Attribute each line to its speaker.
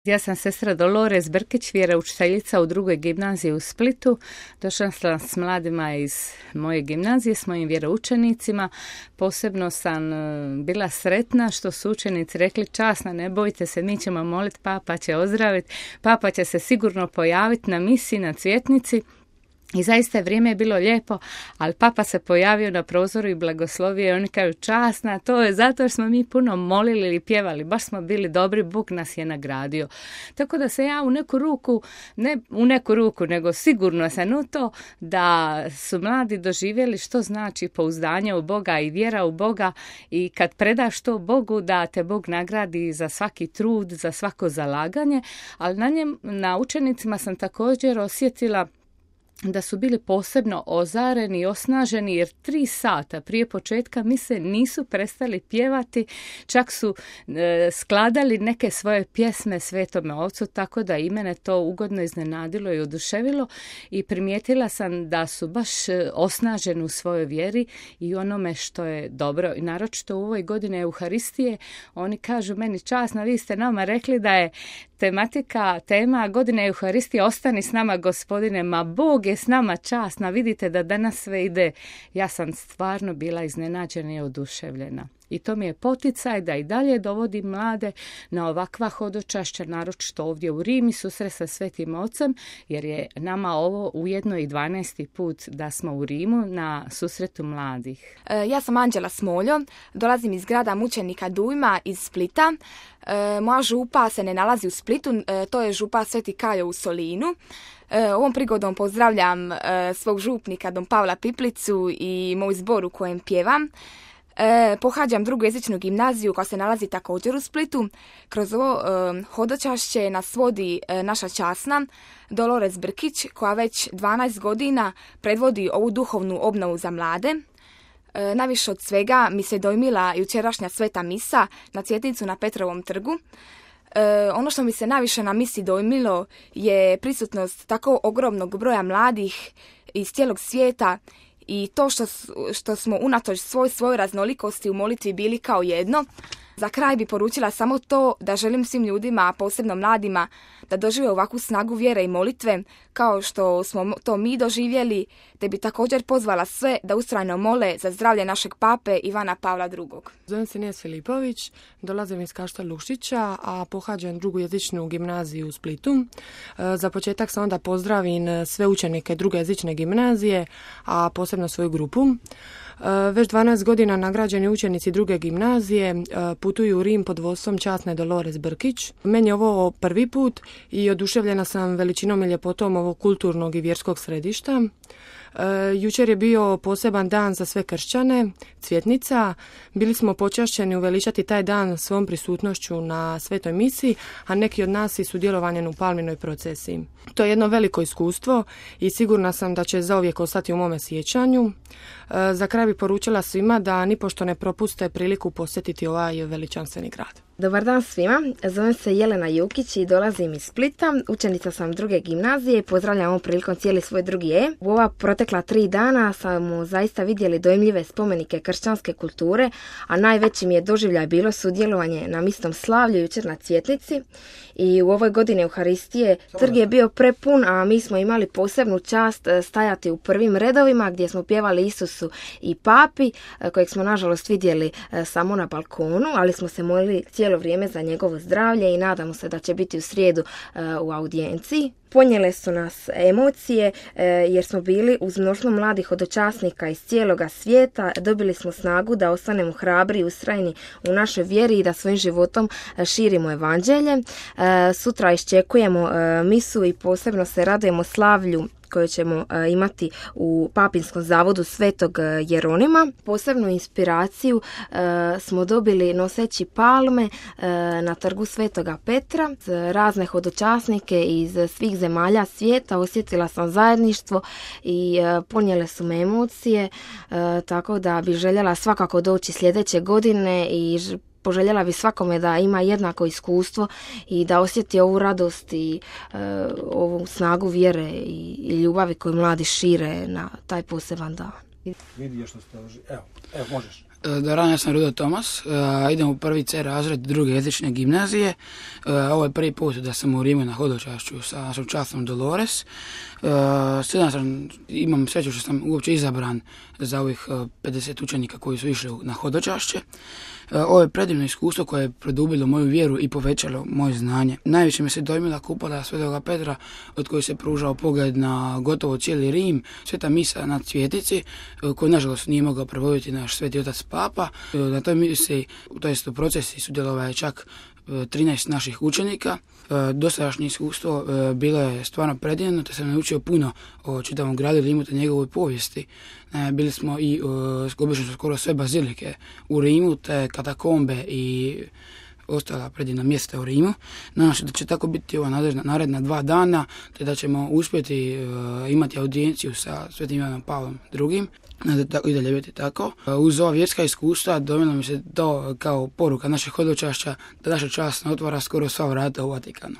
Speaker 1: Ja sam sestra Dolores Brkić, vjeroučiteljica u drugoj gimnaziji u Splitu. Došla sam s mladima iz moje gimnazije, s mojim vjeroučenicima. Posebno sam bila sretna što su učenici rekli: časna, ne bojte se, mi ćemo moliti, papa će ozdraviti, papa će se sigurno pojaviti na misiji, na cvjetnici. I zaista vrijeme je bilo lijepo, ali papa se pojavio na prozoru i blagoslovio i oni kažu: časna, to je zato jer smo mi puno molili ili pjevali, baš smo bili dobri, Bog nas je nagradio. Tako da se ja ne u neku ruku, nego sigurno sam u to da su mladi doživjeli što znači pouzdanje u Boga i vjera u Boga, i kad predaš to Bogu da te Bog nagradi za svaki trud, za svako zalaganje, ali na učenicima sam također osjetila da su bili posebno ozareni i osnaženi, jer 3 sata prije početka mise nisu prestali pjevati, čak su skladali neke svoje pjesme Svetome Ocu, tako da i mene to ugodno iznenadilo i oduševilo, i primijetila sam da su baš osnaženi u svojoj vjeri i onome što je dobro. I naročito u ovoj godini Euharistije oni kažu meni: časna, vi ste nama rekli da je tema godine Euharistije ostani s nama, Gospodine. Ma Bog je s nama, časna, vidite da danas sve ide. Ja sam stvarno bila iznenađena i oduševljena. I to mi je poticaj da i dalje dovodim mlade na ovakva hodočašća, naročito ovdje u Rimi, susret sa Svetim Ocem, jer je nama ovo ujedno i 12. put da smo u Rimu na susretu mladih.
Speaker 2: Ja sam Anđela Smoljo, dolazim iz grada mučenika Dujma iz Splita. Moja župa se ne nalazi u Splitu, to je župa Sveti Kajo u Solinu. Ovom prigodom pozdravljam svog župnika Don Pavla Piplicu i moj zbor u kojem pjevam. Pohađam drugojezičnu gimnaziju koja se nalazi također u Splitu. Kroz ovo hodočašće nas vodi naša časna Dolores Brkić, koja već 12 godina predvodi ovu duhovnu obnovu za mlade. Najviše od svega mi se dojmila jučerašnja sveta misa na cvjetnicu na Petrovom trgu. Ono što mi se najviše na misi dojmilo je prisutnost tako ogromnog broja mladih iz cijelog svijeta i to što smo unatoč svojoj raznolikosti u molitvi bili kao jedno. Za kraj bi poručila samo to da želim svim ljudima, a posebno mladima, da dožive ovakvu snagu vjere i molitve kao što smo to mi doživjeli, te bi također pozvala sve da ustrajno mole za zdravlje našeg pape Ivana Pavla II.
Speaker 3: Zovem se Nijez Filipović, dolazim iz Kašta Lušića, a pohađam drugojezičnu gimnaziju u Splitu. Za početak sam onda pozdravim sve učenike drugojezične gimnazije, a posebno svoju grupu. Već 12 godina nagrađeni učenici druge gimnazije putuju u Rim pod vodstvom časne Dolores Brkić. Meni je ovo prvi put i oduševljena sam veličinom i ljepotom ovog kulturnog i vjerskog središta. Jučer je bio poseban dan za sve kršćane, cvjetnica. Bili smo počašćeni uveličati taj dan svom prisutnošću na svetoj misi, a neki od nas i sudjelovanjem u palminoj procesiji. To je jedno veliko iskustvo i sigurna sam da će zauvijek ostati u mome sjećanju. Za kraj bi poručila svima da nipošto ne propuste priliku posjetiti ovaj veličanstveni grad.
Speaker 4: Dobar dan svima, zovem se Jelena Jukić i dolazim iz Splita, učenica sam druge gimnazije i pozdravljam ovom prilikom cijeli svoj drugi E. U ova protekla 3 dana smo zaista vidjeli dojmljive spomenike kršćanske kulture, a najveći mi je doživljaj bilo sudjelovanje na misnom slavlju jučer na cvjetnici. I u ovoj godini Euharistije trg je bio prepun, a mi smo imali posebnu čast stajati u prvim redovima gdje smo pjevali Isusu i Papi, kojeg smo nažalost vidjeli samo na balkonu, ali smo se molili cijelo vrijeme za njegovo zdravlje i nadamo se da će biti u srijedu u audijenciji. Ponijele su nas emocije jer smo bili uz mnoštvo mladih hodočasnika iz cijeloga svijeta. Dobili smo snagu da ostanemo hrabri i ustrajni u našoj vjeri i da svojim životom širimo evanđelje. Sutra iščekujemo misu i posebno se radujemo slavlju koje ćemo imati u Papinskom zavodu Svetog Jeronima. Posebnu inspiraciju smo dobili noseći palme na trgu Svetoga Petra. Razne hodočasnike iz svih zemalja svijeta, osjetila sam zajedništvo i ponijele su me emocije, tako da bi željela svakako doći sljedeće godine i poželjela bi svakome da ima jednako iskustvo i da osjeti ovu radost i ovu snagu vjere i ljubavi koju mladi šire na taj poseban dan.
Speaker 5: Vidi što ste... Evo, možeš. Ja sam Rudo Tomas, idem u prvi C razred druge jezične gimnazije. Ovo je prvi put da sam u Rimu na hodočašću sa našom časnom Dolores. Imam sreću što sam uopće izabran za ovih 50 učenika koji su išli na hodočašće. Ovo je predivno iskustvo koje je produbilo moju vjeru i povećalo moje znanje. Najviše me se dojmila kupola Svetoga Petra, od koje se pružao pogled na gotovo cijeli Rim, Sveta misa na Cvjetici, koju nažalost nije mogao provoditi naš sveti otac Papa. Na toj misi, to jest u procesi, sudjelovalo je čak 13 naših učenika. Dosadašnje iskustvo bilo je stvarno predivno, te sam naučio puno o čitavom gradu Rimu te njegovoj povijesti. Bili smo i obišli smo skoro sve bazilike u Rimu, te katakombe i ostala predivna mjesta u Rimu. Nadam se da će tako biti ova naredna 2 dana, te da ćemo uspjeti imati audijenciju sa Svetim Ivanom Pavlom II. I dalje biti tako. Uz ova vjerska iskustva dojmilo mi se to kao poruka našeg hodočašća da naša čast otvara skoro sva vrata u Vatikanu.